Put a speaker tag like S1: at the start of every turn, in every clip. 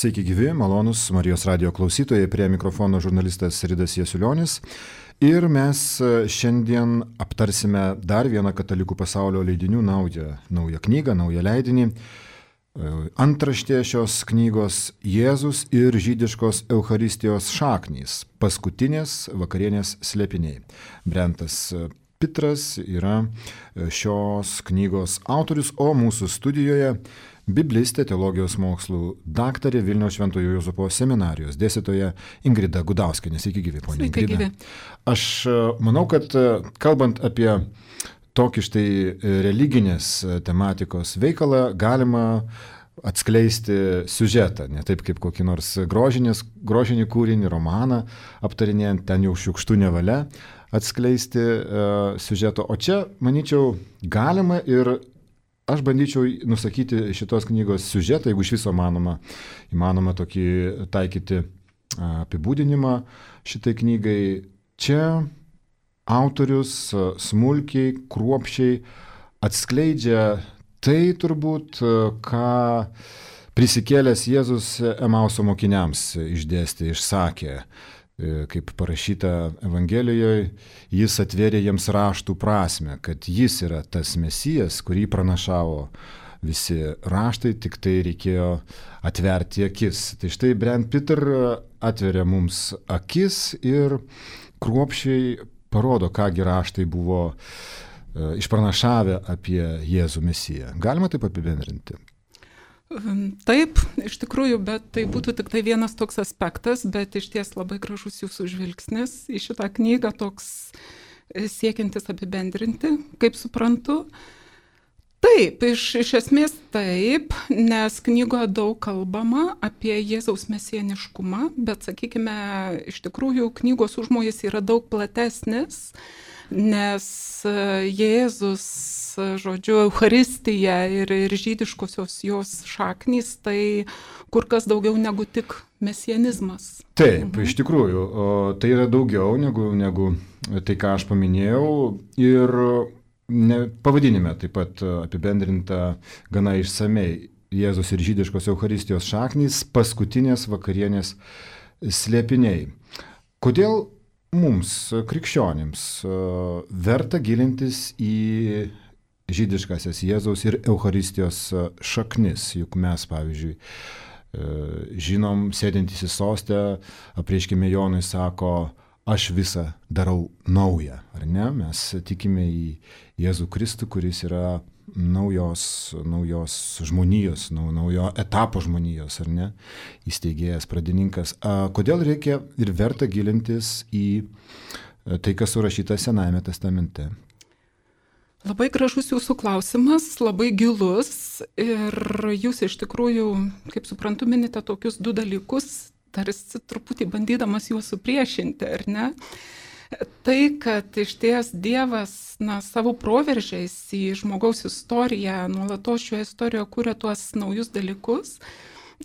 S1: Sveiki gyvi, malonus Marijos radijo klausytojai, prie mikrofono žurnalistas Ridas Jasiulionis. Ir mes šiandien aptarsime dar vieną katalikų pasaulio leidinių naują knygą, naują leidinį. Antraštė šios knygos Jėzus ir žydiškos Eucharistijos šaknys – paskutinės vakarienės slėpiniai. Brentas Pitras yra šios knygos autorius, o mūsų studijoje biblistė, teologijos mokslų daktarė, Vilniaus Šventojo Juozapo seminarijos dėstytoja Ingrida Gudauskienė. Sveiki gyvi, ponia Ingrida.
S2: Sveiki gyvi.
S1: Aš manau, kad kalbant apie tokį štai religinės tematikos veikalą, galima atskleisti siužetą, ne taip kaip kokį nors grožinį kūrinį, romaną aptarinėjant, ten jau šiukštų nevalia atskleisti siužeto. O čia, manyčiau, galima ir aš bandyčiau nusakyti šitos knygos siužetą, jeigu iš viso įmanoma tokį taikyti apibūdinimą šitai knygai. Čia autorius smulkiai, kruopščiai atskleidžia tai turbūt, ką prisikėlęs Jėzus Emauso mokiniams išdėstė, išsakė. Kaip parašyta Evangelijoje, jis atvėrė jiems raštų prasme, kad jis yra tas Mesijas, kurį pranašavo visi raštai, tik tai reikėjo atverti akis. Tai štai Brent Peter atveria mums akis ir kruopščiai parodo, kągi raštai buvo išpranašavę apie Jėzų Mesiją. Galima taip apibendrinti?
S2: Taip, iš tikrųjų, bet tai būtų tik tai vienas toks aspektas, bet iš ties labai gražus jūsų žvilgsnis į šitą knygą, toks siekiantis apibendrinti, kaip suprantu. Taip, iš esmės taip, nes knygoje daug kalbama apie Jėzaus mesijaniškumą, bet sakykime, iš tikrųjų knygos užmojis yra daug platesnis, nes Jėzus, žodžiu, Eucharistija ir žydiškosios jos šaknys, tai kur kas daugiau negu tik mesianizmas.
S1: Taip, iš tikrųjų, tai yra daugiau negu tai, ką aš paminėjau, ir pavadinime taip pat apibendrinta gana išsamei Jėzus ir žydiškos Eucharistijos šaknys – paskutinės vakarienės slėpiniai. Kodėl mums, krikščionims, verta gilintis į žydiškasias Jėzaus ir Eucharistijos šaknis? Juk mes, pavyzdžiui, žinom, sėdintys į sostę, apreiškime Jonui sako, aš visą darau naują, ar ne? Mes tikime į Jėzų Kristų, kuris yra naujos žmonijos, naujo etapo žmonijos, ar ne? Įsteigėjas, pradininkas. Kodėl reikia ir verta gilintis į tai, kas surašyta Senajame testamente?
S2: Labai gražus jūsų klausimas, labai gilus, ir jūs iš tikrųjų, kaip suprantu, minite tokius du dalykus, tarsi truputį bandydamas juos supriešinti, ar ne? Tai, kad iš ties Dievas savo proveržiais į žmogaus istoriją, nuolatos šioje istorijoje kuria tuos naujus dalykus,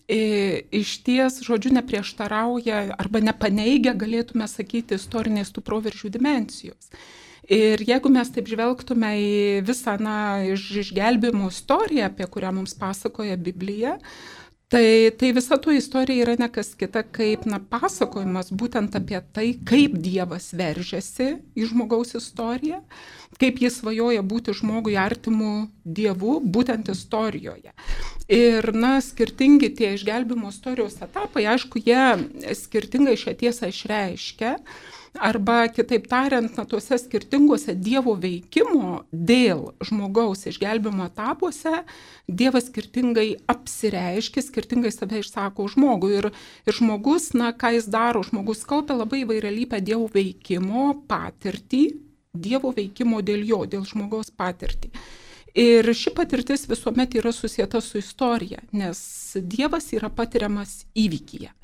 S2: iš ties, žodžiu, neprieštarauja arba nepaneigia, galėtume sakyti, istorinės tų proveržių dimensijos. Ir jeigu mes taip žvelgtume į visą išgelbėjimo istoriją, apie kurią mums pasakoja Biblija, tai visa tų istorija yra ne kas kita kaip pasakojimas būtent apie tai, kaip Dievas veržiasi į žmogaus istoriją, kaip jis svajoja būti žmogui artimu Dievu būtent istorijoje. Ir skirtingi tie išgelbėjimo istorijos etapai, aišku, jie skirtingai šią tiesą išreiškia, arba kitaip tariant, tuose skirtinguose Dievo veikimo dėl žmogaus išgelbėjimo etapuose Dievas skirtingai apsireiškia, skirtingai save išsako žmogui. Ir žmogus, ką jis daro, žmogus kaupia labai įvairialypę Dievo veikimo patirtį, Dievo veikimo dėl jo, dėl žmogaus patirtį. Ir ši patirtis visuomet yra susieta su istorija, nes Dievas yra patiriamas įvykyje.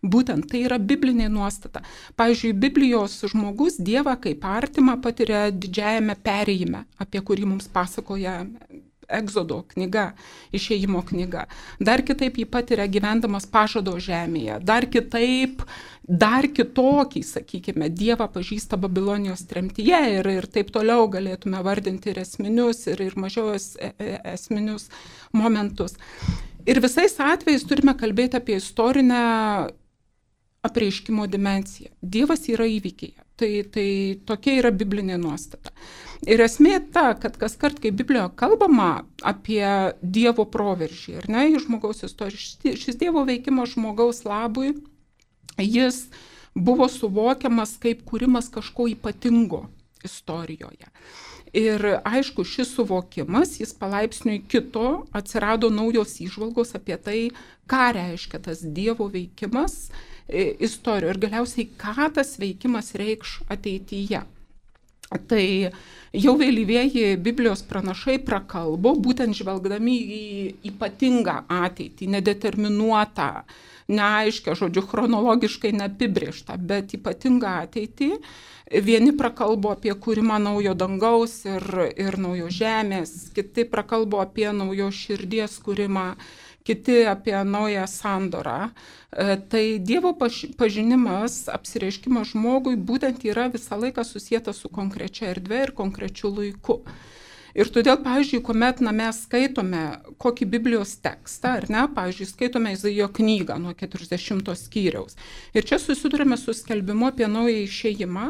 S2: Būtent tai yra biblinė nuostata. Pavyzdžiui, Biblijos žmogus Dievą kaip artimą patiria didžiajame perėjime, apie kurį mums pasakoja Egzodo knyga, išėjimo knyga. Dar kitaip jį patiria gyvendamas pažado žemėje. Dar kitaip, dar kitokį, sakykime, Dievą pažįsta Babilonijos tremtyje ir taip toliau galėtume vardinti ir esminius, ir mažiau esminius momentus. Ir visais atvejais turime kalbėti apie istorinę apreiškimo dimensiją. Dievas yra įvykyje. Tai tokia yra biblinė nuostata. Ir esmė ta, kad kas kart, kai Biblijoje kalbama apie Dievo proveržį, ar ne, į žmogaus istoriją, šis Dievo veikimas žmogaus labui, jis buvo suvokiamas kaip kūrimas kažko ypatingo istorijoje. Ir aišku, šis suvokimas, jis palaipsniui kito, atsirado naujos įžvalgos apie tai, ką reiškia tas Dievo veikimas istorijoje ir galiausiai, ką tas veikimas reikš ateityje. Tai jau vėlyvieji Biblijos pranašai prakalbo, būtent žvelgdami į ypatingą ateitį, nedeterminuotą, neaiškę, žodžiu, chronologiškai neapibrėžtą, bet ypatingą ateitį. Vieni prakalbo apie kūrimą naujo dangaus ir naujo žemės, kiti prakalbo apie naujo širdies kūrimą, kiti apie naują sandorą. Tai Dievo pažinimas, apsireiškimas žmogui būtent yra visą laiką susietas su konkrečia erdve ir konkrečiu laiku. Ir todėl, pavyzdžiui, kuomet mes skaitome kokį Biblijos tekstą, ar ne, pavyzdžiui, skaitome Izaijo knygą nuo 40 skyriaus. Ir čia susidurime su skelbimu apie naują išėjimą.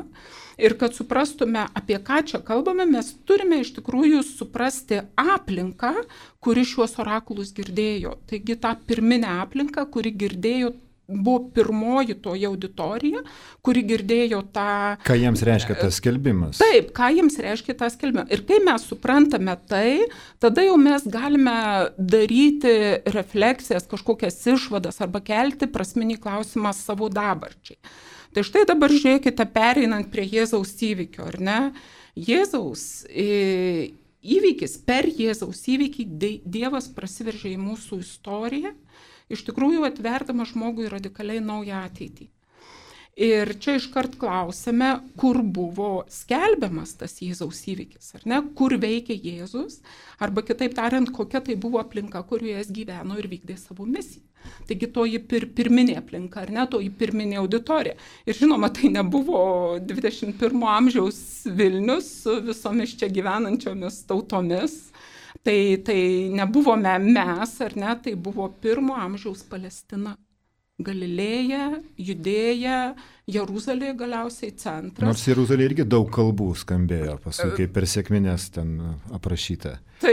S2: Ir kad suprastume, apie ką čia kalbame, mes turime iš tikrųjų suprasti aplinką, kuri šiuos orakulus girdėjo. Taigi tą pirminę aplinką, kuri girdėjo, buvo pirmoji toji auditorija, kuri girdėjo tą...
S1: Ką jiems reiškia tas skelbimas?
S2: Taip, ką jiems reiškia tas skelbimas. Ir kai mes suprantame tai, tada jau mes galime daryti refleksijas, kažkokias išvadas arba kelti prasminį klausimą savo dabarčiai. Tai štai dabar žiūrėkite, pereinant prie Jėzaus įvykio, ar ne? Jėzaus įvykis, per Jėzaus įvykį Dievas prasiveržė į mūsų istoriją, iš tikrųjų atverdamas žmogui radikaliai naują ateitį. Ir čia iškart klausime, kur buvo skelbiamas tas Jėzaus įvykis, ar ne? Kur veikia Jėzus, arba kitaip tariant, kokia tai buvo aplinka, kurioje jis gyveno ir vykdė savo misiją. Taigi toji pirminė aplinka, ar ne, toji pirminė auditorija. Ir žinoma, tai nebuvo 21 amžiaus Vilnius su visomis čia gyvenančiomis tautomis. Tai nebuvome mes, ar ne, tai buvo 1 amžiaus Palestina. Galilėja, Judėja, Jeruzalė galiausiai centras.
S1: Nors Jeruzalė irgi daug kalbų skambėjo, paskui kaip per sekmines ten aprašyta.
S2: Tai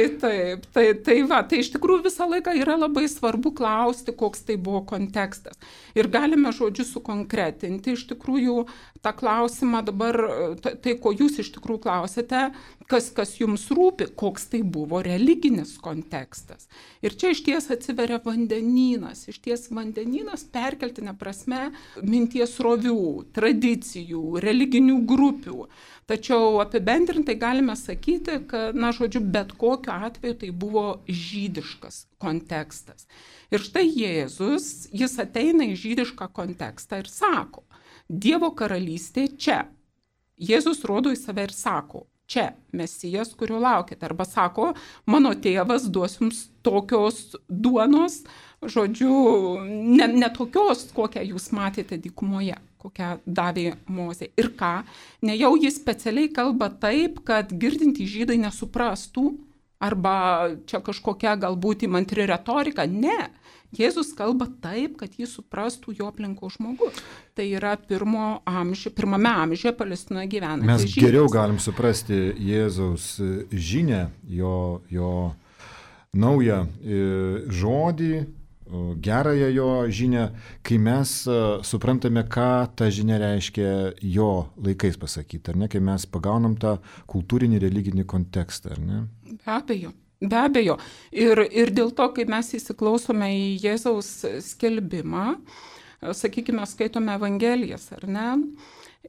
S2: iš tikrųjų visą laiką yra labai svarbu klausti, koks tai buvo kontekstas. Ir galime žodžiu sukonkretinti iš tikrųjų tą klausimą dabar, tai ko jūs iš tikrųjų klausėte, kas jums rūpi, koks tai buvo religinis kontekstas. Ir čia išties atsiveria vandenynas, išties vandenynas perkeltinė prasme minties rovių, tradicijų, religinių grupių. Tačiau apibendrintai galime sakyti, kad, žodžiu, bet kokiu atveju tai buvo žydiškas kontekstas. Ir štai Jėzus, jis ateina į žydišką kontekstą ir sako, Dievo karalystė čia. Jėzus rodo į save ir sako, čia Mesijas, kurio laukite. Arba sako, mano tėvas duos jums tokios duonos, žodžiu, ne tokios, kokią jūs matėte dykumoje, kokią davė Mozė. Ir ką? Nejau jis specialiai kalba taip, kad girdintys žydai nesuprastų, arba čia kažkokia galbūt įmantri retorika. Ne. Jėzus kalba taip, kad jį suprastų jo aplinkos žmogus. Tai yra pirmame amžiuje Palestinoje gyvenantis žydas.
S1: Mes geriau galim suprasti Jėzaus žinią, jo naują žodį, gerąją jo žinią, kai mes suprantame, ką ta žinia reiškia jo laikais pasakyti, ar ne, kai mes pagaunam tą kultūrinį, religinį kontekstą, ar ne?
S2: Be abejo. Ir dėl to, kai mes įsiklausome į Jėzaus skelbimą, sakykime, skaitome Evangelijas, ar ne?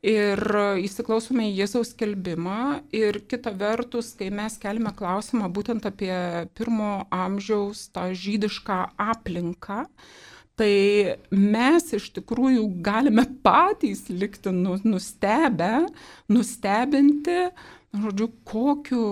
S2: Ir įsiklausome į Jėzaus skelbimą ir kita vertus, kai mes keliame klausimą būtent apie 1 amžiaus tą žydišką aplinką, tai mes iš tikrųjų galime patys likti nustebinti, Žodžiu, kokiu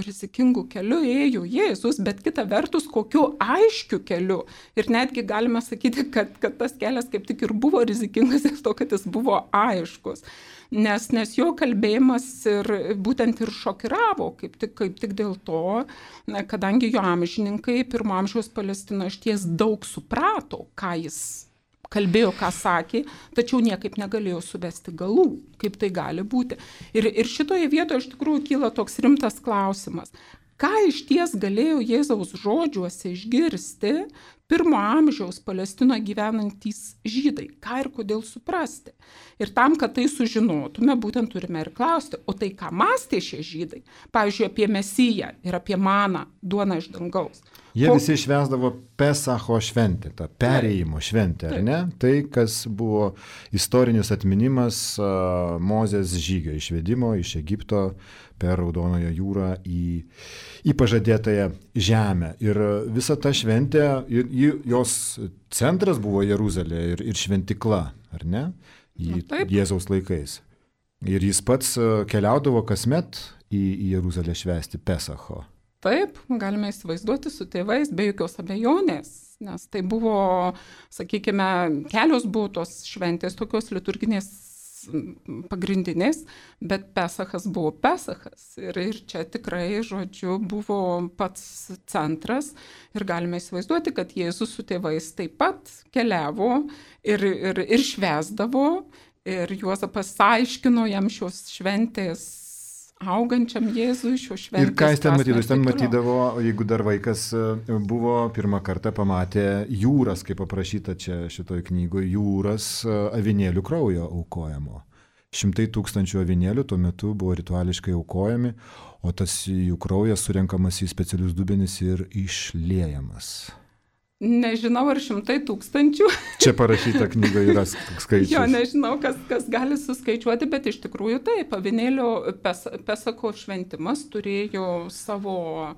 S2: rizikingu keliu ėjo Jėzus, bet kita vertus, kokiu aiškiu keliu. Ir netgi galime sakyti, kad tas kelias kaip tik ir buvo rizikingas dėl to, kad jis buvo aiškus. Nes jo kalbėjimas ir būtent ir šokiravo, kaip tik dėl to, kadangi jo amžininkai pirmo amžiaus Palestino išties daug suprato, ką jis kalbėjo, ką sakė, tačiau niekaip negalėjo suvesti galų, kaip tai gali būti. Ir šitoje vietoje iš tikrųjų kyla toks rimtas klausimas. Ką išties galėjo Jėzaus žodžiuose išgirsti pirmo amžiaus Palestinoje gyvenantys žydai? Ką ir kodėl suprasti? Ir tam, kad tai sužinotume, būtent turime ir klausti, o tai ką mąstė šie žydai? Pavyzdžiui, apie Mesiją ir apie maną, duoną iš dangaus.
S1: Jie visi švęsdavo Pesacho šventę, tą perėjimo šventę, ar ne? Tai, kas buvo istorinis atminimas Mozės žygio išvedimo iš Egipto per Raudonojo jūrą į pažadėtąją žemę. Ir visa ta šventė, jos centras buvo Jeruzalė ir šventikla, ar ne? Jėzaus laikais. Ir jis pats keliaudavo kasmet į Jeruzalę švęsti Pesacho.
S2: Taip, galime įsivaizduoti su tėvais, be jokios abejonės, nes tai buvo, sakykime, kelios buvo tos šventės, tokios liturginės pagrindinės, bet Pesachas buvo Pesachas. Ir čia tikrai, žodžiu, buvo pats centras ir galime įsivaizduoti, kad Jėzus su tėvais taip pat keliavo ir švęsdavo, ir Juozapas aiškino jam šios šventės augančiam Jėzui šio šventės.
S1: Ir ką jis ten matydavo? Jis ten matydavo, jeigu dar vaikas buvo, pirmą kartą pamatė jūras, kaip aprašyta čia šitoj knygoje, jūras avinėlių kraujo aukojamo. 100 000 avinėlių tuo metu buvo rituališkai aukojami, o tas jų kraujas surenkamas į specialius dubenis ir išliejamas.
S2: Nežinau, ar 100 000.
S1: Čia parašyta knygoje yra skaičius.
S2: Jo, nežinau, kas gali suskaičiuoti, bet iš tikrųjų taip, avinėlio Pesako šventimas turėjo savo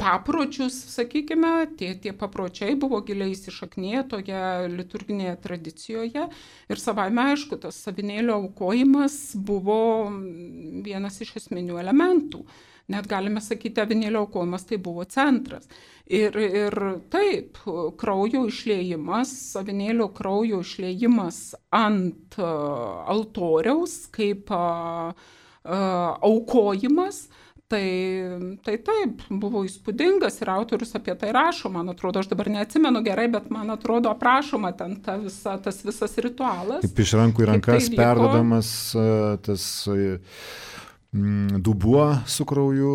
S2: papročius, sakykime, tie papročiai buvo giliai įsišakniję toje liturginėje tradicijoje ir savaime aišku, tas avinėlio aukojimas buvo vienas iš esminių elementų. Net galime sakyti, avinėlio aukojimas tai buvo centras. Ir taip, kraujo išliejimas, avinėlio kraujo išliejimas ant altoriaus kaip aukojimas, tai taip, buvo įspūdingas ir autorius apie tai rašo, man atrodo, aš dabar neatsimenu gerai, bet man atrodo aprašoma ten tas visas ritualas.
S1: Kaip iš rankų į rankas perdodamas tas dubuo su krauju,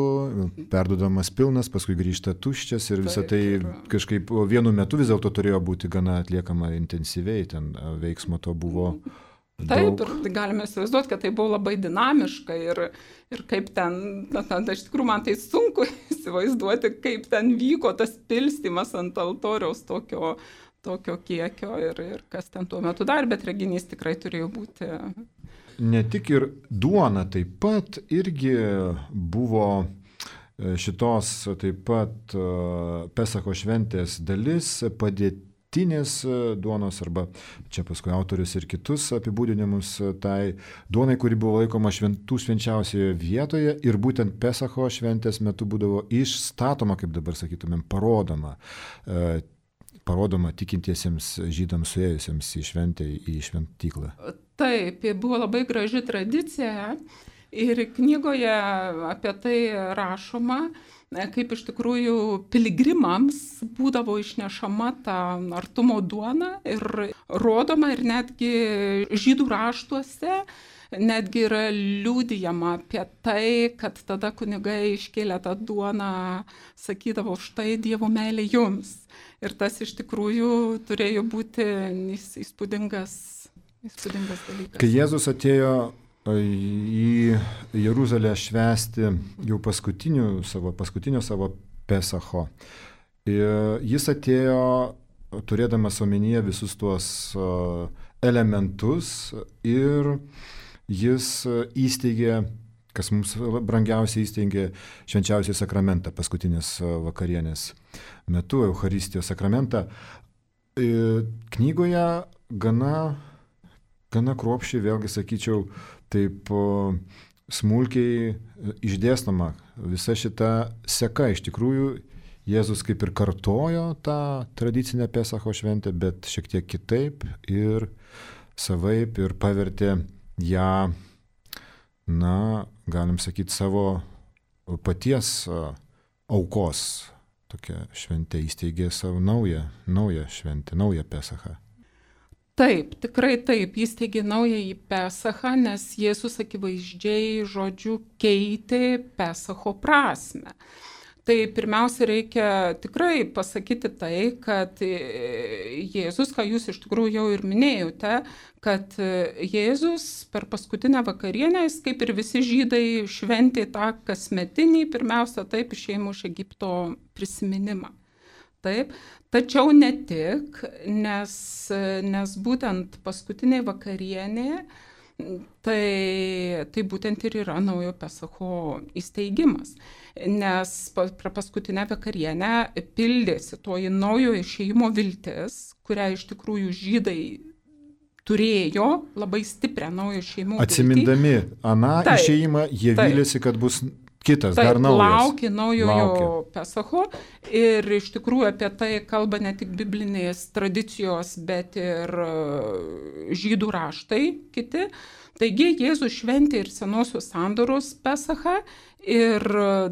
S1: perduodamas pilnas, paskui grįžta tuščias ir visą tai kažkaip vienu metu vis dėlto turėjo būti gana atliekama intensyviai, ten veiksmo to buvo daug.
S2: Taip, ir galime įsivaizduoti, kad tai buvo labai dinamiška ir kaip ten, iš tikrųjų man tai sunku įsivaizduoti, kaip ten vyko tas pilstymas ant altoriaus tokio kiekio ir kas ten tuo metu dar, bet reginys tikrai turėjo būti.
S1: Ne tik ir duona taip pat irgi buvo šitos taip pat Pesacho šventės dalis, padėtinės duonos, arba čia paskui autorius ir kitus apibūdinimus tai duonai, kuri buvo laikoma šventų švenčiausioje vietoje ir būtent Pesacho šventės metu būdavo išstatoma, kaip dabar sakytumėm, parodoma tikintiesiems žydams suėjusiems į šventę, į šventyklą.
S2: Taip, buvo labai graži tradicija ir knygoje apie tai rašoma, kaip iš tikrųjų piligrimams būdavo išnešama ta artumo duona ir rodoma ir netgi žydų raštuose netgi yra liudijama apie tai, kad tada kunigai iškėlė tą duoną, sakydavo, štai Dievo meilė jums. Ir tas iš tikrųjų turėjo būti įspūdingas dalykas.
S1: Kai Jėzus atėjo į Jeruzalę švęsti jau paskutinio savo Pesacho, jis atėjo turėdamas omenyje visus tuos elementus ir jis įsteigė, kas mums brangiausiai įsteigė, švenčiausią sakramentą paskutinės vakarienės metu, Eucharistijos sakramentą. Knygoje gana kruopščiai, vėlgi sakyčiau, taip smulkiai išdėstoma visa šita seka. Iš tikrųjų, Jėzus kaip ir kartojo tą tradicinę Pesacho šventę, bet šiek tiek kitaip ir savaip ir pavertė ją, galim sakyti, savo paties aukos tokia šventė, įsteigė savo naują šventę, naują Pesachą.
S2: Taip, tikrai taip, įsteigė naująjį Pesachą, nes Jėzus akivaizdžiai, žodžiu, keitė Pesacho prasme. Tai pirmiausia reikia tikrai pasakyti tai, kad Jėzus, ką jūs iš tikrųjų jau ir minėjote, kad Jėzus per paskutinę vakarienę, jis kaip ir visi žydai šventė tą kasmetinį, pirmiausia taip, išėjimo iš Egipto prisiminimą. Taip, tačiau ne tik, nes būtent paskutinė vakarienė, tai būtent ir yra naujo Pesacho įsteigimas. Nes per paskutinę vakarienę pildėsi toji naujo išėjimo viltis, kurią iš tikrųjų žydai turėjo labai stiprią naujo išėjimo viltį.
S1: Atsimindami aną išėjimą, jie vylėsi, kad bus kitas, dar naujas.
S2: Laukė naujojo Pesacho ir iš tikrųjų apie tai kalba ne tik biblinės tradicijos, bet ir žydų raštai kiti. Taigi Jėzus šventė ir senosios sandoros Pesachą ir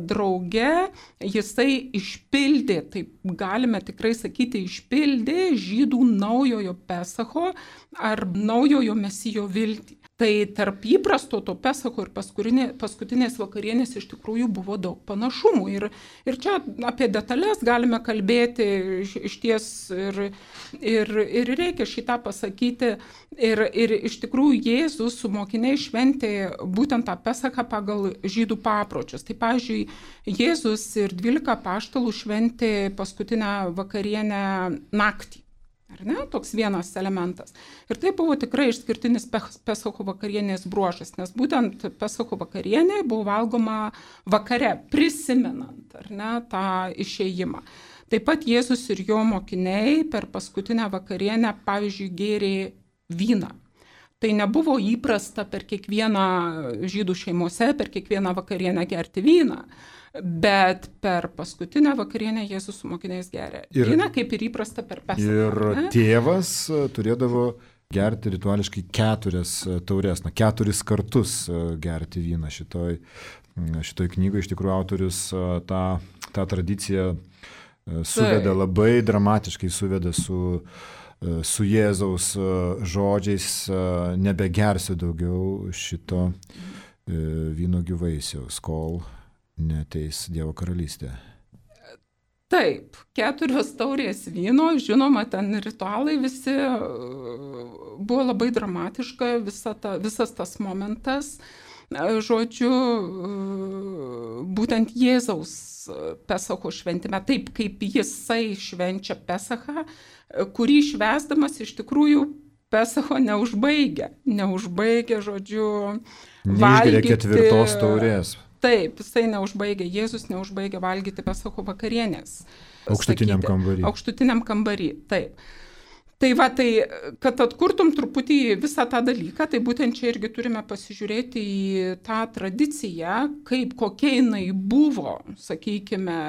S2: drauge jisai išpildė, taip galime tikrai sakyti, išpildė žydų naujojo Pesacho ar naujojo Mesijo viltį. Tai tarp įprasto to Pesacho ir paskutinės vakarienės iš tikrųjų buvo daug panašumų. Ir čia apie detalės galime kalbėti iš ties ir reikia šitą pasakyti. Ir iš tikrųjų Jėzus su mokiniais šventė būtent tą Pesachą pagal žydų papročius. Tai pavyzdžiui, Jėzus ir 12 apaštalų šventė paskutinę vakarienę naktį. Ar ne? Toks vienas elementas. Ir tai buvo tikrai išskirtinis Pesacho vakarienės bruožas, nes būtent Pesacho vakarienė buvo valgoma vakare, prisimenant, ar ne, tą išėjimą. Taip pat Jėzus ir jo mokiniai per paskutinę vakarienę, pavyzdžiui, gėrė vyną. Tai nebuvo įprasta per kiekvieną žydų šeimose, per kiekvieną vakarienę gerti vyną. Bet per paskutinę vakarienę Jėzus su mokiniais geria vyną, kaip ir įprasta per Pesachą.
S1: Ir tėvas turėdavo gerti rituališkai 4 taures, 4 kartus gerti vyną šitoj knygoje. Iš tikrųjų autorius tą tradiciją suveda labai dramatiškai, suveda su Jėzaus žodžiais, nebegersiu daugiau šito vynuogių vaisiaus, kol neateis Dievo karalystė.
S2: Taip, 4 taurės vyno, žinoma, ten ritualai visi, buvo labai dramatiška visas tas momentas. Žodžiu, būtent Jėzaus Pesacho šventime, taip kaip jisai švenčia Pesachą, kurį švęsdamas iš tikrųjų Pesacho neužbaigia, žodžiu,
S1: valgyti 4 taurės.
S2: Taip, jisai neužbaigia, Jėzus neužbaigia valgyti Pesacho vakarienės.
S1: Aukštutiniam kambary.
S2: Aukštutiniam kambary, taip. Tai va, tai kad atkurtum truputį visą tą dalyką, tai būtent čia irgi turime pasižiūrėti į tą tradiciją, kokia jinai buvo, sakykime,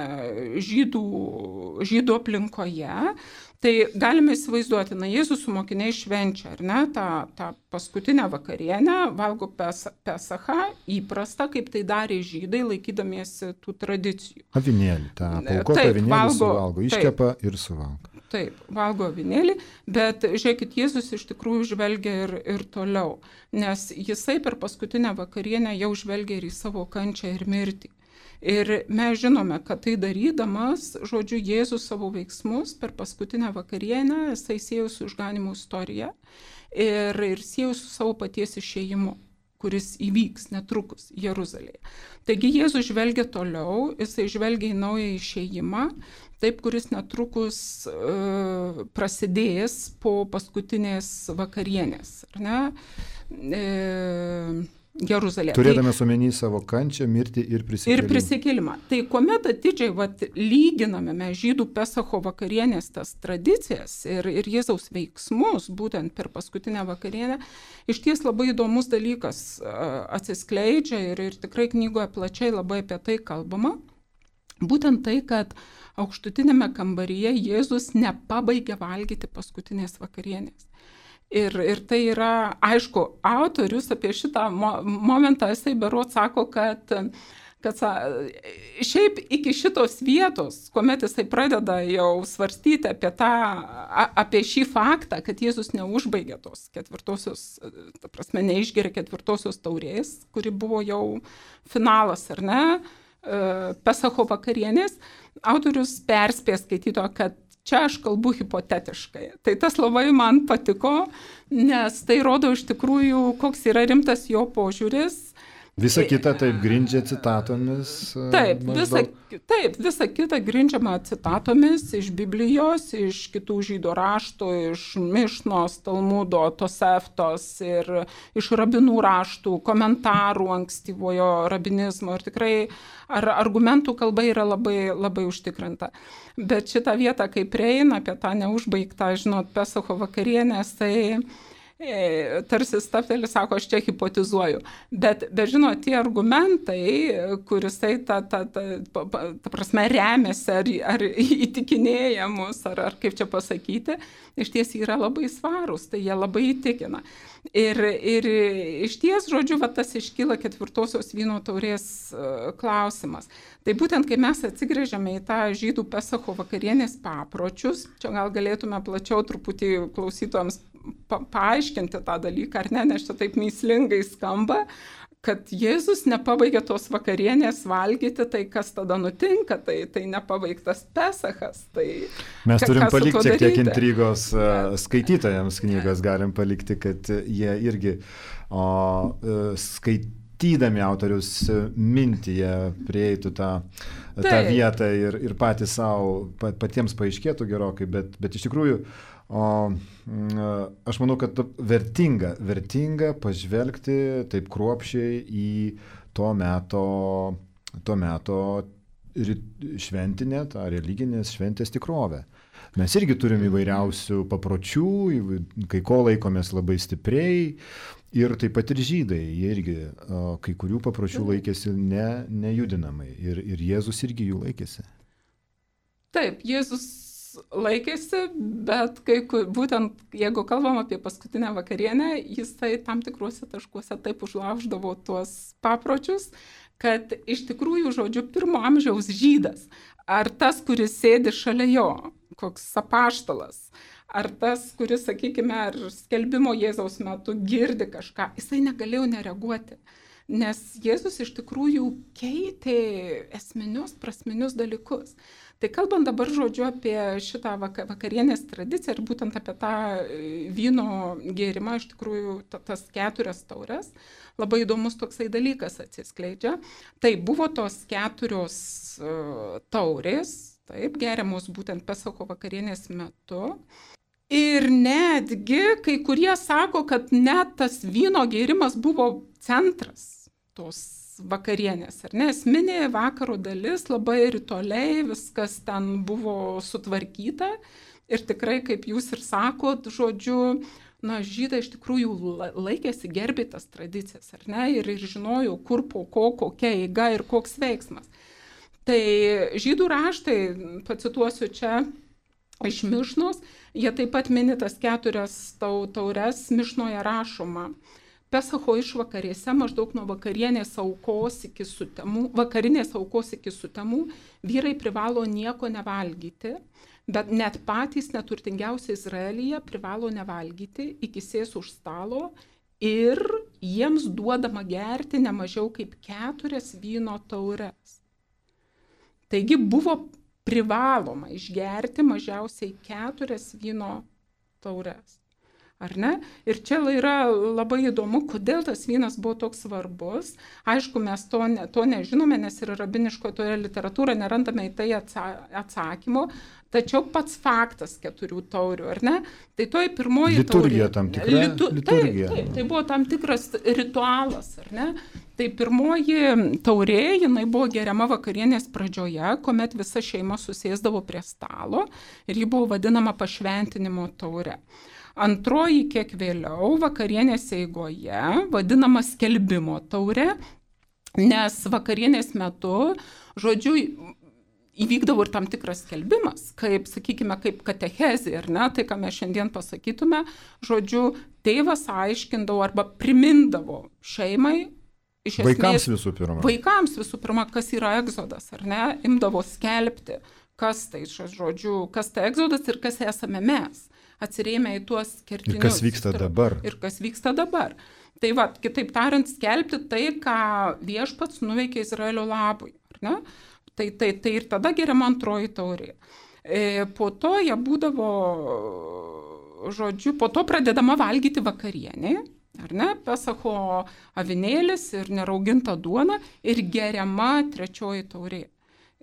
S2: žydų aplinkoje. Tai galime įsivaizduoti, Jėzus su mokiniais švenčia, ar ne, tą paskutinę vakarienę, valgo Pesachą, įprasta, kaip tai darė žydai, laikydamiesi tų tradicijų.
S1: Avinėlį, tą paukotą avinėlį suvalgo, iškepa ir suvalgo.
S2: Taip, valgo avinėlį, bet žiūrėkit, Jėzus iš tikrųjų žvelgia ir toliau, nes jisai per paskutinę vakarienę jau žvelgia ir į savo kančią ir mirtį. Ir mes žinome, kad tai darydamas, žodžiu, Jėzus savo veiksmus per paskutinę vakarienę, jisai siejo su išganymo istorija ir siejo su savo paties išėjimu, kuris įvyks netrukus Jeruzalėje. Taigi Jėzus žvelgia toliau, jisai žvelgia į naują išėjimą, taip, kuris netrukus prasidės po paskutinės vakarienės. Ar ne? Jeruzalėje.
S1: Turėdamas omeny savo kančią, mirtį ir prisikėlimą.
S2: Ir prisikėlimą. Tai kuomet atidžiai lyginame mes žydų Pesacho vakarienės tas tradicijas ir Jėzaus veiksmus, būtent per paskutinę vakarienę, iš ties labai įdomus dalykas atsiskleidžia ir tikrai knygoje plačiai labai apie tai kalbama. Būtent tai, kad aukštutinėme kambaryje Jėzus nepabaigė valgyti paskutinės vakarienės. Ir tai yra, aišku, autorius apie šitą momentą, jisai berods sako, kad šiaip iki šitos vietos, kuomet jisai pradeda jau svarstyti apie šį faktą, kad Jėzus neužbaigė tos ketvirtosios, ta prasme, neišgeria ketvirtosios taurės, kuri buvo jau finalas, ar ne, Pesacho vakarienės, autorius perspės skaitytoją, kad čia aš kalbu hipotetiškai. Tai tas labai man patiko, nes tai rodo iš tikrųjų, koks yra rimtas jo požiūris.
S1: Visa kita taip grindžia citatomis.
S2: Taip, visa kita grindžiama citatomis iš Biblijos, iš kitų žydų raštų, iš Mišnos, Talmudo, Toseftos ir iš rabinų raštų, komentarų ankstyvojo rabinizmo. Ir tikrai argumentų kalba yra labai, labai užtikrinta. Bet šitą vietą, kai prieina apie tą neužbaigtą, Pesacho vakarienės, tai tarsi stabteli, sako, aš čia hipotizuoju. Bet tie argumentai, kurisai ta prasme remiasi ar įtikinėja mus, ar kaip čia pasakyti, iš ties yra labai svarūs, tai jie labai įtikina. Ir iš ties, žodžiu, tas iškyla ketvirtosios vyno taurės klausimas. Tai būtent, kai mes atsigrėžiame į tą žydų Pesacho vakarienės papročius, čia gal galėtume plačiau truputį klausytojams paaiškinti tą dalyką, ar ne, nes čia taip mįslingai skamba, kad Jėzus nepabaigė tos vakarienės valgyti, tai kas tada nutinka, tai nepabaigtas Pesachas. Tai
S1: mes turim palikti šiek tiek intrigos skaitytojams knygos, galim palikti, kad jie irgi skaitydami autoriaus mintį, jie prieitų tą vietą ir patys savo, patiems paaiškėtų gerokai, bet iš tikrųjų aš manau, kad vertinga pažvelgti taip kruopščiai į to meto šventinę, tą religinės šventės tikrovę. Mes irgi turim įvairiausių papročių, kai ko laikomės labai stipriai ir taip pat ir žydai, jie irgi kai kurių papročių laikėsi nejudinamai ir Jėzus irgi jų laikėsi.
S2: Taip, Jėzus laikėsi, bet būtent jeigu kalbam apie paskutinę vakarienę, jisai tam tikruose taškuose taip užlauždavo tuos papročius, kad iš tikrųjų, žodžiu, 1 amžiaus žydas, ar tas, kuris sėdi šalia jo, koks apaštalas, ar tas, kuris, sakykime, ar skelbimo Jėzaus metu girdi kažką, jisai negalėjo nereaguoti. Nes Jėzus iš tikrųjų keitė esminius, prasminius dalykus. Tai kalbant dabar, žodžiu, apie šitą vakarienės tradiciją ir būtent apie tą vyno gėrimą, iš tikrųjų tas 4 taures, labai įdomus toksai dalykas atsiskleidžia. Tai buvo tos 4 taurės, taip, geriamos būtent Pesacho vakarienės metu. Ir netgi kai kurie sako, kad net tas vyno gėrimas buvo centras tos vakarienės, ar ne, esminė vakaro dalis, labai ritualiai viskas ten buvo sutvarkyta ir tikrai, kaip jūs ir sakot, žodžiu, žydai iš tikrųjų laikėsi, gerbė tas tradicijas, ar ne, ir žinojo, kur po ko, kokia eiga ir koks veiksmas. Tai žydų raštai, pacituosiu čia iš Mišnos, jie taip pat mini tas 4 taures, Mišnoje rašoma. Pesacho išvakarėse, maždaug nuo vakarinės aukos iki sutemų, vyrai privalo nieko nevalgyti, bet net patys neturtingiausi Izraelyje privalo nevalgyti iki sės už stalo ir jiems duodama gerti ne mažiau kaip 4 vyno taures. Taigi buvo privaloma išgerti mažiausiai 4 vyno taures. Ar ne? Ir čia yra labai įdomu, kodėl tas vynas buvo toks svarbus. Aišku, mes to nežinome, nes ir rabiniškoje toje literatūroje nerandame į tai atsakymo, Tačiau pats faktas 4 taurių, ar ne? Tai toji pirmoji
S1: liturgija
S2: taurė.
S1: Tam tikra. Liturgija.
S2: Taip, tai buvo tam tikras ritualas, ar ne? Tai pirmoji taurė, jinai buvo geriama vakarienės pradžioje, kuomet visa šeima susėsdavo prie stalo ir ji buvo vadinama pašventinimo taure. Antroji kiek vėliau, vakarienės eigoje, vadinama skelbimo taure, nes vakarienės metu, žodžiu, įvykdavo ir tam tikras skelbimas, kaip, sakykime, kaip katechezė, ar ne, tai ką mes šiandien pasakytume, žodžiu, tėvas aiškindavo arba primindavo šeimai, iš esmės, vaikams visų pirma, kas yra egzodas, ar ne, imdavo skelbti, kas tai, žodžiu, kas tai egzodas ir kas esame mes, atsirėmė į tuos kertinius.
S1: Ir kas vyksta dabar.
S2: Ir kas vyksta dabar. Tai va, kitaip tariant, skelbti tai, ką viešpats nuveikė Izraelio labui. Ne? Tai ir tada geriama antroji taurė. Po to jie būdavo, žodžiu, po to pradedama valgyti vakarienė, ar ne, Pesacho avinėlis ir nerauginta duona ir geriama trečioji taurė.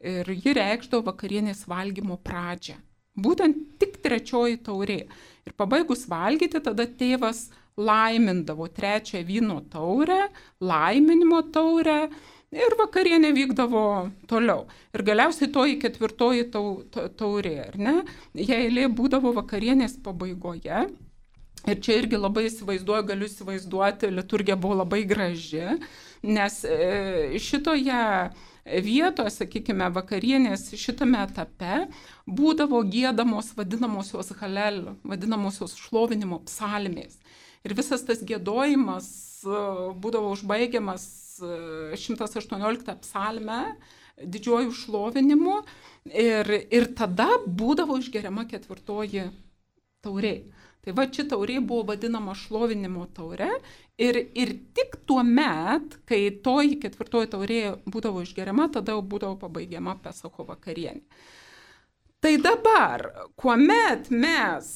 S2: Ir ji reikšdavo vakarienės valgymo pradžią. Būtent tik trečioji taurė. Ir pabaigus valgyti, tada tėvas laimindavo trečią vyno taurę, laiminimo taurę ir vakarienė vykdavo toliau. Ir galiausiai toji ketvirtoji taurė, ar ne? Jei eilė būdavo vakarienės pabaigoje. Ir čia irgi labai galiu įsivaizduoti, liturgija buvo labai graži, nes šitoje vietoje, sakykime, vakarienės šitame etape būdavo giedamos vadinamosios halel, vadinamosios šlovinimo psalmės. Ir visas tas giedojimas būdavo užbaigiamas 118 psalme, didžiuoju šlovinimu ir tada būdavo išgeriama ketvirtoji taurė. Tai va, ši taurė buvo vadinama šlovinimo taure ir tik tuo met, kai toji ketvirtoji taurė būdavo išgeriama, tada būdavo pabaigiama Pesacho vakarienė. Tai dabar, kuomet mes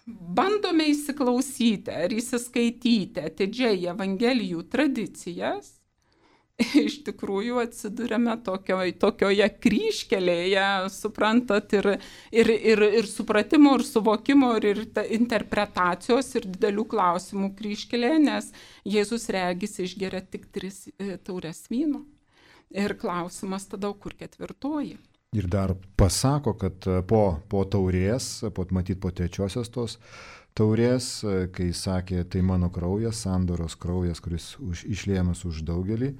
S2: bandome įsiklausyti ar įsiskaityti atidžiai Evangelijų tradicijas, iš tikrųjų atsiduriame tokioje kryžkelėje, suprantat, ir supratimo, ir suvokimo, ir interpretacijos, ir didelių klausimų kryžkelėje, nes Jėzus regis išgeria tik 3 taures vyno. Ir klausimas tada, kur ketvirtoji.
S1: Ir dar pasako, kad po taurės, matyt po trečiosios tos taurės, kai sakė, tai mano kraujas, sandoros kraujas, kuris išliejamas už daugelį,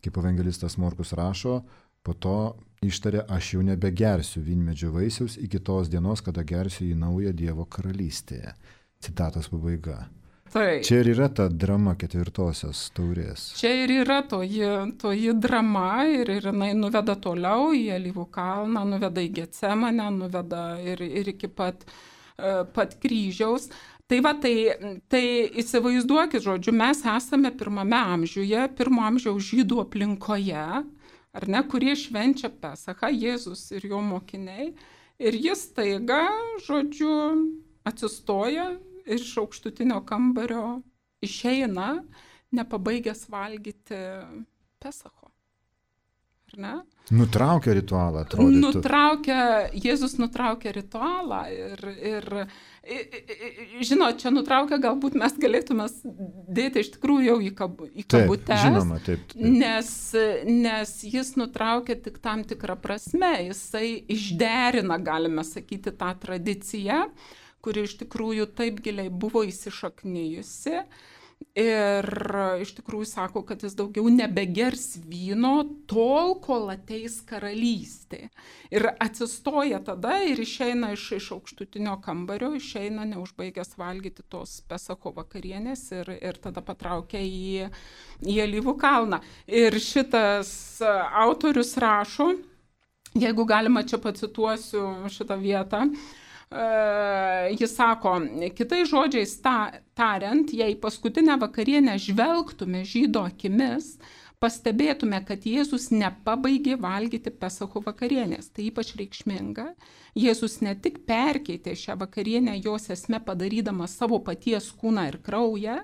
S1: kaip evangelistas Morkus rašo, po to ištarė, aš jau nebegersiu vynmedžio vaisiaus iki tos dienos, kada gersiu į naują Dievo karalystėje. Citatos pabaiga.
S2: Tai.
S1: Čia ir yra ta drama ketvirtosios taurės.
S2: Čia ir yra toji drama ir jinai nuveda toliau į Alyvų kalną, nuveda į Getsemanę, nuveda ir iki pat kryžiaus. Tai va, tai įsivaizduokit, žodžiu, mes esame pirmame amžiuje, pirmo amžiaus žydų aplinkoje, ar ne, kurie švenčia Pesachą, Jėzus ir jo mokiniai, ir jis taiga, žodžiu, atsistoja iš aukštutinio kambario, išeina, nepabaigęs valgyti Pesacho. Ar ne?
S1: Nutraukia ritualą, atrodytų.
S2: Jėzus nutraukia ritualą ir žinot, čia nutraukia, galbūt mes galėtume dėti iš tikrųjų jau į kabutes,
S1: taip, žinoma, taip.
S2: Nes jis nutraukia tik tam tikrą prasme, jisai išderina, galime sakyti, tą tradiciją, kuri iš tikrųjų taip giliai buvo įsišaknijusi ir iš tikrųjų sako, kad jis daugiau nebegers vyno tol, kol ateis karalystė. Ir atsistoja tada ir išeina iš aukštutinio kambario, išeina neužbaigęs valgyti tos Pesacho vakarienės ir tada patraukia į Alyvų kalną. Ir šitas autorius rašo, jeigu galima čia pacituosiu šitą vietą, jis sako, kitais žodžiais tariant, jei paskutinę vakarienę žvelgtume žydo akimis, pastebėtume, kad Jėzus nepabaigė valgyti Pesacho vakarienės. Tai ypač reikšminga. Jėzus ne tik perkeitė šią vakarienę jos esmę padarydamas savo paties kūną ir kraują,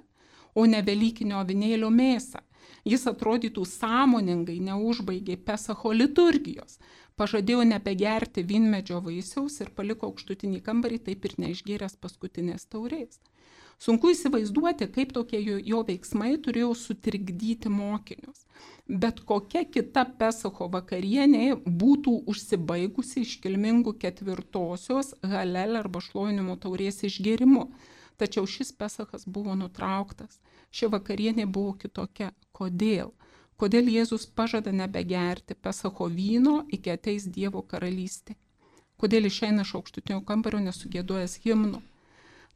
S2: o ne velykinio avinėlio mėsą. Jis atrodytų sąmoningai neužbaigė Pesacho liturgijos. pažadėjo nebegerti vynmedžio vaisiaus ir paliko aukštutinį kambarį, taip ir neišgėręs paskutinės taurės. Sunku įsivaizduoti, kaip tokie jo veiksmai turėjo sutrikdyti mokinius. Bet kokia kita Pesacho vakarienė būtų užsibaigusi iškilmingų ketvirtosios Halel arba šlovinimo taurės išgėrimu. Tačiau šis Pesachas buvo nutrauktas. Ši vakarienė buvo kitokia. Kodėl? Kodėl Jėzus pažada nebegerti Pesacho vyno, iki ateis Dievo karalystė? Kodėl išeina iš aukštutinio kambario nesugėdojęs himno?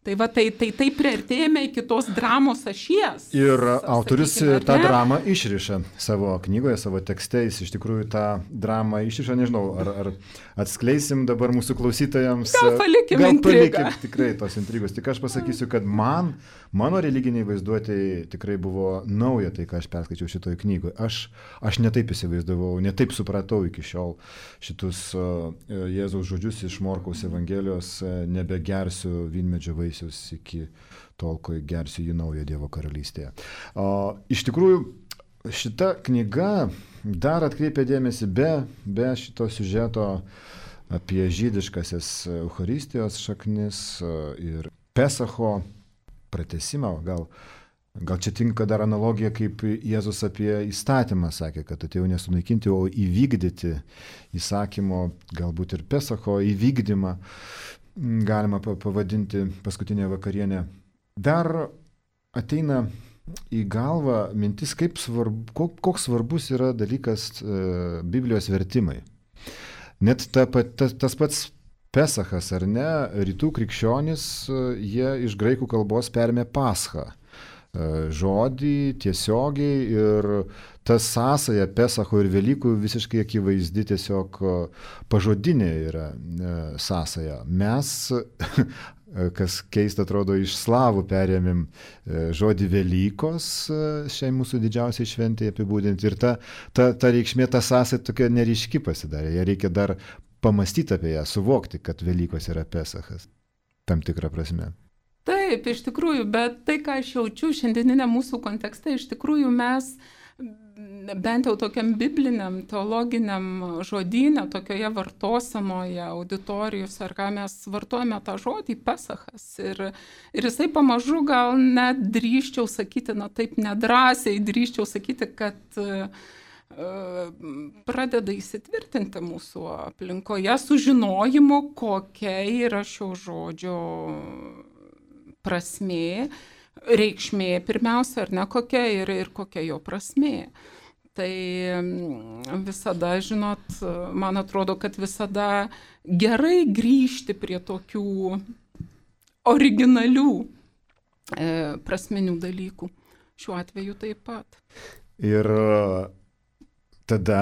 S2: Tai va, tai priartėjame iki tos dramos ašies.
S1: Ir autorius tą dramą išriša savo knygoje, savo tekste, jis iš tikrųjų tą dramą išriša, nežinau, ar atskleisim dabar mūsų klausytojams.
S2: Gal palikim
S1: tikrai tos intrigos. Tik aš pasakysiu, kad mano religiniai vaizduotėjai tikrai buvo nauja tai, ką aš perskaičiau šitoj knygoje. Aš netaip įsivaizdavau, netaip supratau iki šiol šitus Jėzaus žodžius iš Morkaus Evangelijos, nebegersiu vynmedžio vaisiaus iki tol, kai gersiu jį naują Dievo karalystėje. Iš tikrųjų, šita knyga dar atkreipia dėmesį be šito siužeto apie žydiškasias Eucharistijos šaknis ir Pesacho pratesimą. Gal čia tinka dar analogija, kaip Jėzus apie įstatymą sakė, kad atėjo nesunaikinti, o įvykdyti įsakymo, galbūt ir Pesacho įvykdymą galima pavadinti paskutinę vakarienę. Dar ateina į galvą mintis, koks svarbus yra dalykas Biblijos vertimai. Net tas pats Pesachas, ar ne, rytų krikščionys, jie iš graikų kalbos perėmė paschą. Žodį tiesiogiai ir ta sąsaja Pesacho ir Velykų visiškai akivaizdi, tiesiog pažodinė yra sąsaja. Mes, kas keista atrodo, iš slavų perėmėm žodį Velykos šiai mūsų didžiausiai šventėje apibūdinti ir ta reikšmė, ta sąsaja tokia neryški pasidarė. Ją reikia dar pamastyti apie ją, suvokti, kad Velykos yra Pesachas tam tikrą prasme.
S2: Taip, iš tikrųjų, bet tai, ką aš jaučiu šiandieninė mūsų kontekste, iš tikrųjų mes bent jau tokiam bibliniam, teologiniam žodyne, tokioje vartosenoje, auditorijos, ar ką mes vartojame tą žodį Pesachas. Ir jisai pamažu gal net drįsčiau sakyti, taip nedrąsiai drįsčiau sakyti, kad pradeda įsitvirtinti mūsų aplinkoje sužinojimo, kokia yra šio žodžio prasmė, reikšmė pirmiausia, ar ne, kokia ir kokia jo prasmė. Tai visada, žinot, man atrodo, kad visada gerai grįžti prie tokių originalių prasminių dalykų. Šiuo atveju taip pat.
S1: Ir tada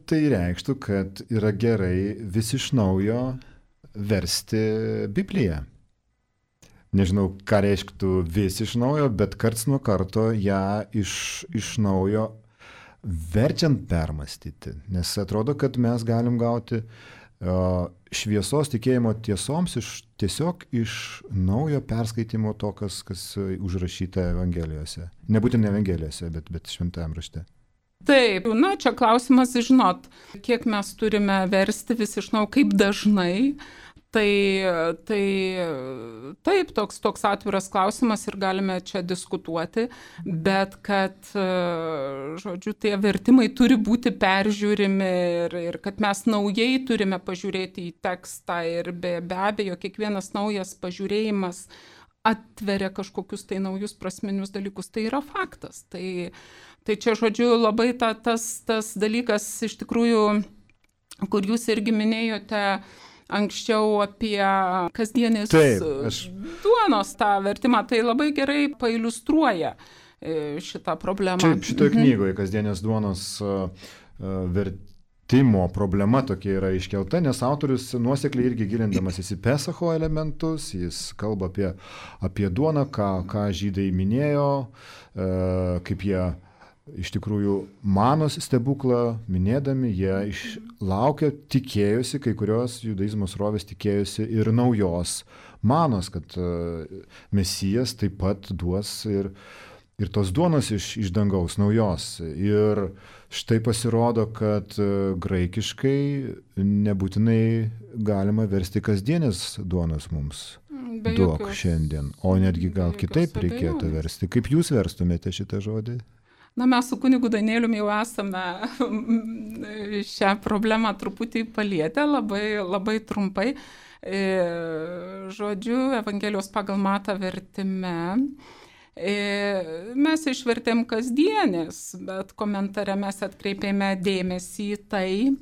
S1: tai reikštų, kad yra gerai vis iš naujo versti Bibliją. Nežinau, ką reikštų vis iš naujo, bet karts nuo karto ją iš naujo verčiant permastyti. Nes atrodo, kad mes galim gauti šviesos tikėjimo tiesoms tiesiog iš naujo perskaitimo to, kas užrašyta Evangelijose. Nebūtinai Evangelijose, bet šventajam rašte.
S2: Taip, čia klausimas, žinot, kiek mes turime versti vis iš naujo, kaip dažnai. Tai taip, toks atviras klausimas ir galime čia diskutuoti, bet kad, žodžiu, tie vertimai turi būti peržiūrimi ir kad mes naujai turime pažiūrėti į tekstą ir be abejo, kiekvienas naujas pažiūrėjimas atveria kažkokius tai naujus prasminius dalykus, tai yra faktas. Tai čia, žodžiu, labai tas dalykas iš tikrųjų, kur jūs irgi minėjote, anksčiau apie kasdienės duonos tą vertimą, tai labai gerai pailiustruoja šitą problemą.
S1: Čia šitoje knygoje kasdienės duonos vertimo problema tokia yra iškelta, nes autorius nuosekliai irgi gilindamasis į Pesacho elementus, jis kalba apie duoną, ką žydai minėjo, kaip jie iš tikrųjų manos stebuklą minėdami, jie laukia, tikėjosi, kai kurios judaizmo srovės tikėjosi ir naujos manos, kad Mesijas taip pat duos ir ir tos duonos iš dangaus naujos. Ir štai pasirodo, kad graikiškai nebūtinai galima versti kasdienės duonos mums. Duok šiandien, o netgi gal kitaip reikėtų versti. Kaip jūs verstumėte šitą žodį?
S2: Na, mes su kunigu Danieliumi jau esame šią problemą truputį palietę, labai trumpai. Žodžiu, Evangelijos pagal Matą vertime mes išvertėm kasdienės, bet komentare mes atkreipėme dėmesį į tai,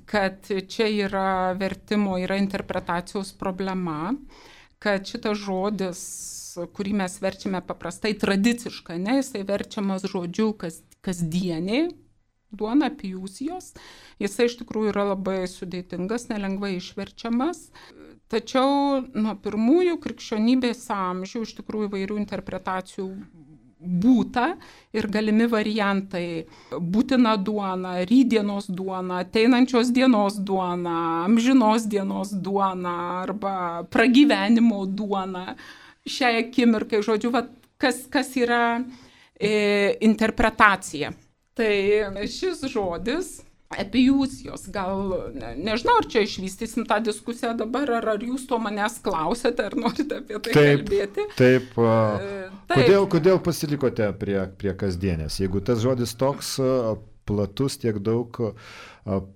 S2: kad čia yra vertimo, yra interpretacijos problema, kad šitas žodis, kurį mes verčiame paprastai tradiciškai, jisai verčiamas žodžiu kasdienė, duona, piusijos, jisai iš tikrųjų yra labai sudėtingas, nelengvai išverčiamas. Tačiau nuo pirmųjų krikščionybės amžių iš tikrųjų įvairių interpretacijų būta ir galimi variantai: būtina duona, rytdienos duona, ateinančios dienos duona, amžinos dienos duona arba pragyvenimo duona. Šiai akimirkai, žodžiu, kas yra interpretacija. Tai šis žodis, epiusijos, gal, nežinau, ar čia išvystysim tą diskusiją dabar, ar jūs to manęs klausėte, ar norite apie tai kalbėti.
S1: Taip. Kodėl pasilikote prie kasdienės? Jeigu tas žodis toks platus, tiek daug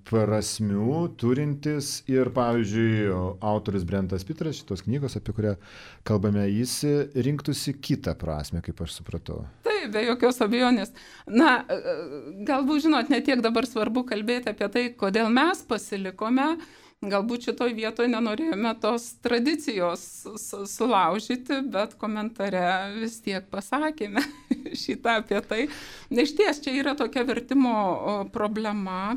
S1: prasmių turintis ir, pavyzdžiui, autorius Brentas Pitras, šitos knygos, apie kurią kalbame, jis rinktųsi kitą prasmę, kaip aš supratau.
S2: Taip, be jokios abejonės. Na, galbūt, žinot, netiek dabar svarbu kalbėti apie tai, kodėl mes pasilikome. Galbūt šitoj vietoje nenorėjome tos tradicijos sulaužyti, bet komentare vis tiek pasakėme šitą apie tai. Išties, čia yra tokia vertimo problema.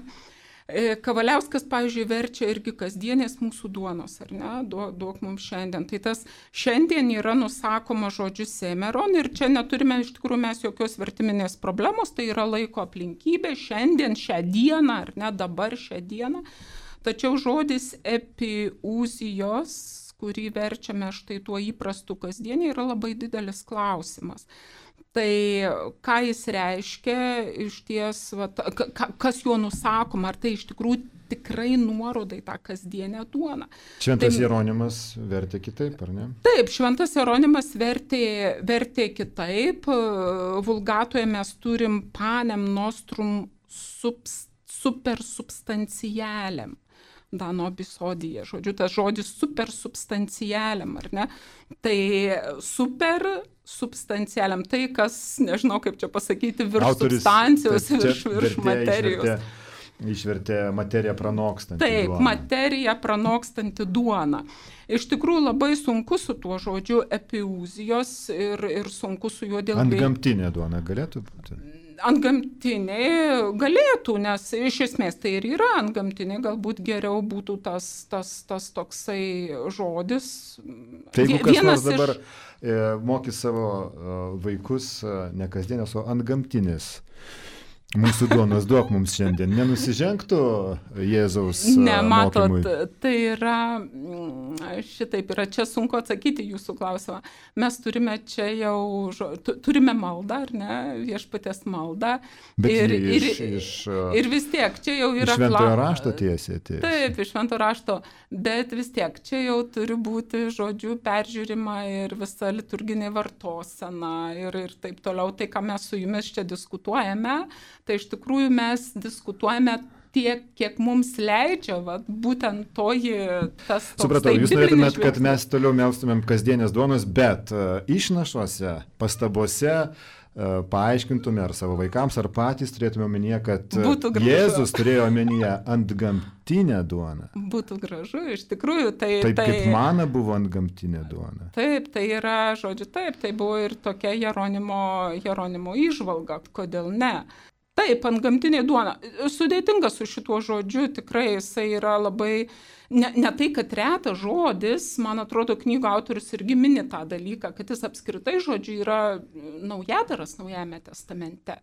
S2: Kavaliauskas, pavyzdžiui, verčia irgi kasdienės mūsų duonos, ar ne? Duok mums šiandien. Tai tas šiandien yra nusakoma žodžiu semeron ir čia neturime iš tikrųjų mes jokios vertiminės problemos, tai yra laiko aplinkybė, šiandien, šią dieną, ar ne, dabar šią dieną. Tačiau žodis epiusijos, kurį verčiame štai tuo įprastu kasdienį, yra labai didelis klausimas. Tai ką jis reiškia, iš ties, kas juo nusakoma, ar tai iš tikrųjų tikrai nuoroda į tą kasdienę duoną.
S1: Šventas Jeronimas vertė kitaip, ar ne?
S2: Taip, Šventas Jeronimas vertė kitaip. Vulgatoje mes turim panem nostrum supersubstantialem. Dano bisodija, žodžiu, tas žodis supersubstantialem, ar ne? Tai supersubstantialem, tai kas, nežinau kaip čia pasakyti, virš substancijos, virš materijos.
S1: Išvertė materiją pranokstantį duoną.
S2: Taip, materiją pranokstantį duoną. Iš tikrųjų labai sunku su tuo žodžiu epiuzijos ir sunku su juo dėl...
S1: Antgamtinė duona galėtų būti?
S2: Antgamtinė galėtų, nes iš esmės tai ir yra antgamtinė, galbūt geriau būtų tas toksai žodis.
S1: Tai jeigu kas nors dabar mokys savo vaikus ne kasdienės, o antgamtinės mūsų duonos, duok mums šiandien, nenusižengtų Jėzaus mokymui?
S2: Ne, matot, tai yra, šitaip yra, čia sunku atsakyti jūsų klausimą. Mes turime čia jau, turime maldą, ar ne, viešpaties maldą.
S1: Bet
S2: ir vis tiek, čia jau yra...
S1: Iš Šventojo rašto tiesiai.
S2: Taip, iš Šventojo rašto, bet vis tiek, čia jau turi būti, žodžiu, peržiūrima ir visa liturginė vartosena ir taip toliau. Tai, ką mes su jumis čia diskutuojame, tai iš tikrųjų mes diskutuojame tiek, kiek mums leidžia, būtent toji tas toks...
S1: Supratau, jūs norėtumėt, kad mes toliau melstumėm kasdienės duonos, bet išnašuose, pastabose paaiškintume ar savo vaikams, ar patys turėtume omenyje, kad Jėzus turėjo omenyje antgamtinę duoną. Būtų
S2: gražu, iš tikrųjų.
S1: Taip kaip mana buvo antgamtinė duona.
S2: Taip, tai yra, žodžiu, taip, tai buvo ir tokia Jeronimo įžvalga, kodėl ne. Taip, antgamtinė duona. Sudėtinga su šituo žodžiu, tikrai jisai yra labai, ne tai, kad retas žodis, man atrodo, knygų autorius irgi mini tą dalyką, kad jis apskritai žodžiu yra naujadaras Naujajame testamente.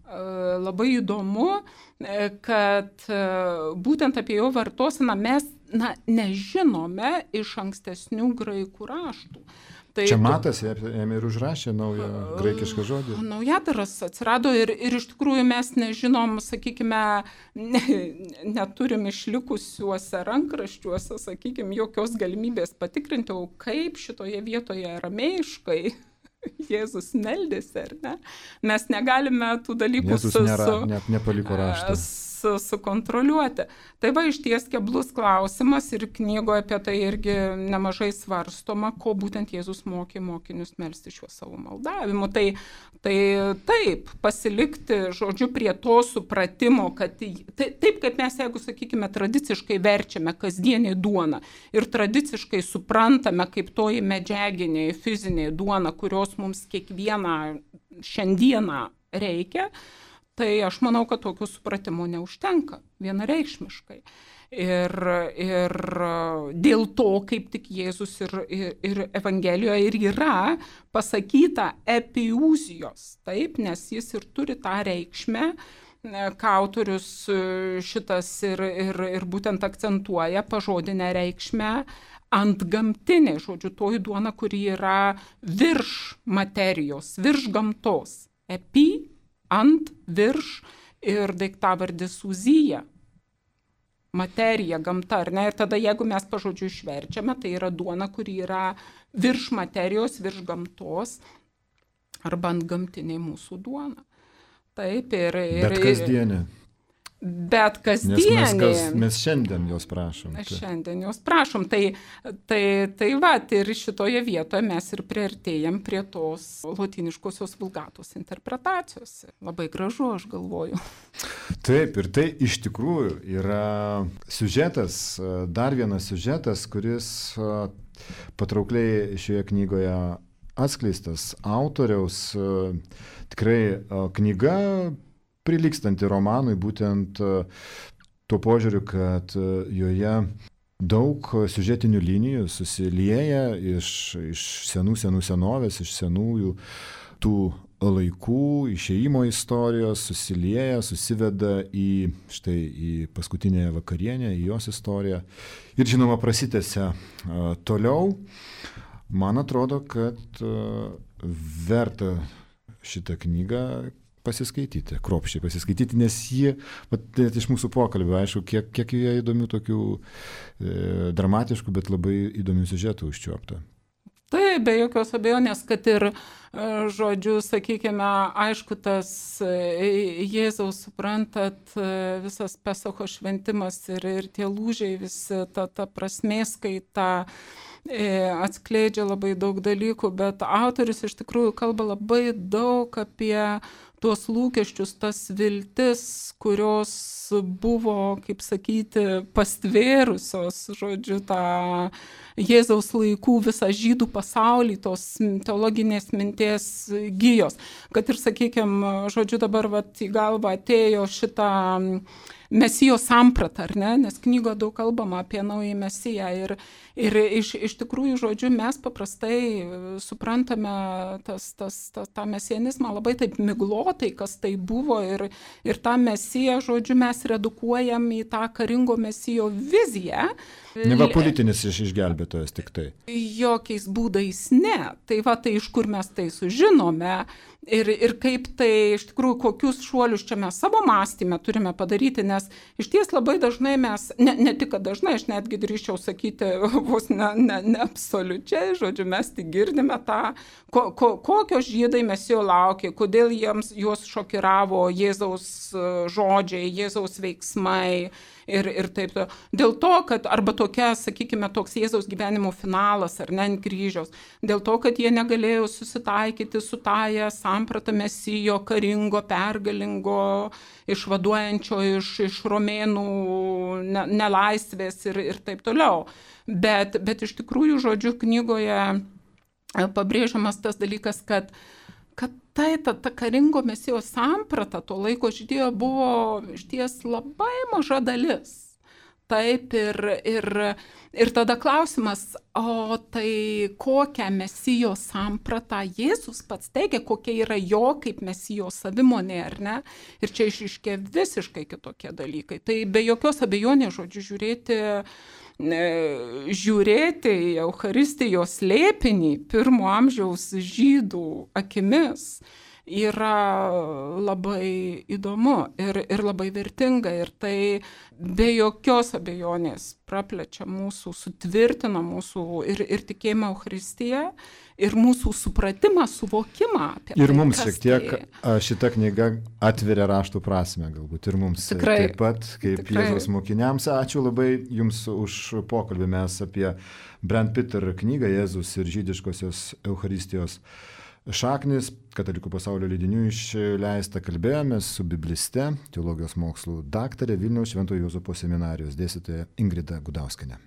S2: labai įdomu, kad būtent apie jo vartoseną mes nežinome iš ankstesnių graikų raštų. Tai
S1: čia Matas ėmė ir užrašė naują graikišką žodį.
S2: Naujadaras atsirado ir iš tikrųjų mes nežinom, sakykime, neturim išlikusiuose rankraščiuose, sakykime, jokios galimybės patikrinti, o kaip šitoje vietoje aramėjiškai Jėzus meldėsi, ar ne? Mes negalime tų dalykų
S1: net nepaliko raštą.
S2: Sukontroliuoti. Tai va išties keblus klausimas ir knygoje apie tai irgi nemažai svarstoma, ko būtent Jėzus mokė mokinius melsti šiuo savo maldavimu. Tai taip, pasilikti, žodžiu, prie to supratimo, kad taip kaip mes, jeigu, sakykime, tradiciškai verčiame kasdienį duoną ir tradiciškai suprantame kaip toji medžiaginė, fizinė duona, kurios mums kiekvieną šiandieną reikia, tai aš manau, kad tokio supratimo neužtenka vienareikšmiškai. Ir dėl to, kaip tik Jėzus ir Evangelijoje ir yra pasakyta epiūzijos, taip, nes jis ir turi tą reikšmę, ką autorius šitas ir būtent akcentuoja pažodinę reikšmę antgamtinė, žodžiu, toji duona, kuri yra virš materijos, virš gamtos. Epi, ant, virš ir daiktavardis uzija. Materija, gamta, ar ne? Ir tada, jeigu mes pažodžiu išverčiame, tai yra duona, kuri yra virš materijos, virš gamtos, arba antgamtinė mūsų duona. Taip,
S1: Bet kasdienė.
S2: Bet kasdienė.
S1: Mes šiandien jos prašom.
S2: Šiandien jos prašom. Tai va, ir šitoje vietoje mes ir priartėjam prie tos lotyniškosios vulgatos interpretacijos. Labai gražu, aš galvoju.
S1: Taip, ir tai iš tikrųjų yra siužetas, dar vienas siužetas, kuris patraukliai šioje knygoje atskleistas autoriaus. Tikrai knyga prilygstanti romanui būtent tuo požiūriu, kad joje daug siužetinių linijų susilieja iš senų senovės, iš senųjų tų laikų, išėjimo istorijos, susilieja, susiveda į paskutinę vakarienę, į jos istoriją ir žinoma prasitęsia toliau. Man atrodo, kad verta šitą knygą pasiskaityti, kruopščiai pasiskaityti, nes ji, iš mūsų pokalbio, aišku, kiek joje įdomių tokių dramatiškų, bet labai įdomių siužetų užčiuopta.
S2: Tai be jokios abejonės, kad ir, žodžiu, sakykime, aišku, tas Jėzaus, suprantat, visas Pesacho šventimas ir tie lūžiai, visi ta prasmės kaita atskleidžia labai daug dalykų, bet autorius iš tikrųjų kalba labai daug apie tuos lūkesčius, tas viltis, kurios buvo, kaip sakyti, pastvėrusios, žodžiu, tą Jėzaus laikų visą žydų pasaulį, tos teologinės minties gijos. Kad ir, sakykime, žodžiu, dabar į galvą atėjo šitą Mesijo sampratą, ar ne? Nes knygoje daug kalbama apie naują Mesiją ir iš tikrųjų, žodžiu, mes paprastai suprantame tą mesianizmą labai taip miglotai, kas tai buvo ir tą Mesiją, žodžiu, mes redukuojam į tą karingo Mesijo viziją.
S1: Neva politinis išgelbėtojas tik tai.
S2: Jokiais būdais ne. Tai va, tai iš kur mes tai sužinome ir kaip tai, iš tikrųjų, kokius šuolius čia mes savo mąstyme turime padaryti, nes iš ties labai dažnai mes, ne tik kad dažnai, aš netgi drįsčiau sakyti, vos ne absoliučiai, žodžiu, mes tik girdime tą, kokios žydai Mesijo laukė, kodėl juos šokiravo Jėzaus žodžiai, Jėzaus veiksmai ir taip. Dėl to, kad arba tokia, sakykime, toks Jėzaus gyvenimo finalas, ar ne, ant kryžiaus, dėl to, kad jie negalėjo susitaikyti su tąja samprata Mesijo karingo, pergalingo, išvaduojančio iš romėnų nelaisvės ir taip toliau. Bet iš tikrųjų, žodžiu, knygoje pabrėžiamas tas dalykas, kad ta karingo Mesijo samprata to laiko žydėjo buvo išties labai maža dalis. taip, ir tada klausimas, o tai kokią mesijo sampratą Jėzus pats teigia, kokia yra jo kaip mesijo savimonė, ar ne? Ir čia išryškė visiškai kitokie dalykai. Tai be jokios abejonės, žodžiu, žiūrėti į Eucharistijos slėpinį pirmo amžiaus žydų akimis yra labai įdomu ir labai vertinga. Ir tai be jokios abejonės praplečia mūsų, sutvirtina mūsų ir tikėjimą Eucharistiją, ir mūsų supratimą, suvokimą apie
S1: ir
S2: tai. Ir
S1: mums šiek tiek šita knyga atveria raštų prasme, galbūt ir mums
S2: tikrai,
S1: taip pat, kaip tikrai. Jėzaus mokiniams. Ačiū labai Jums už pokalbį. Mes apie Brent Peter knygą Jėzus ir žydiškosios Eucharistijos šaknis, Katalikų pasaulio leidinių išleista, kalbėjomės su bibliste, teologijos mokslų daktare, Vilniaus Šventojo Juozapo seminarijos dėstytoja Ingrida Gudauskienė.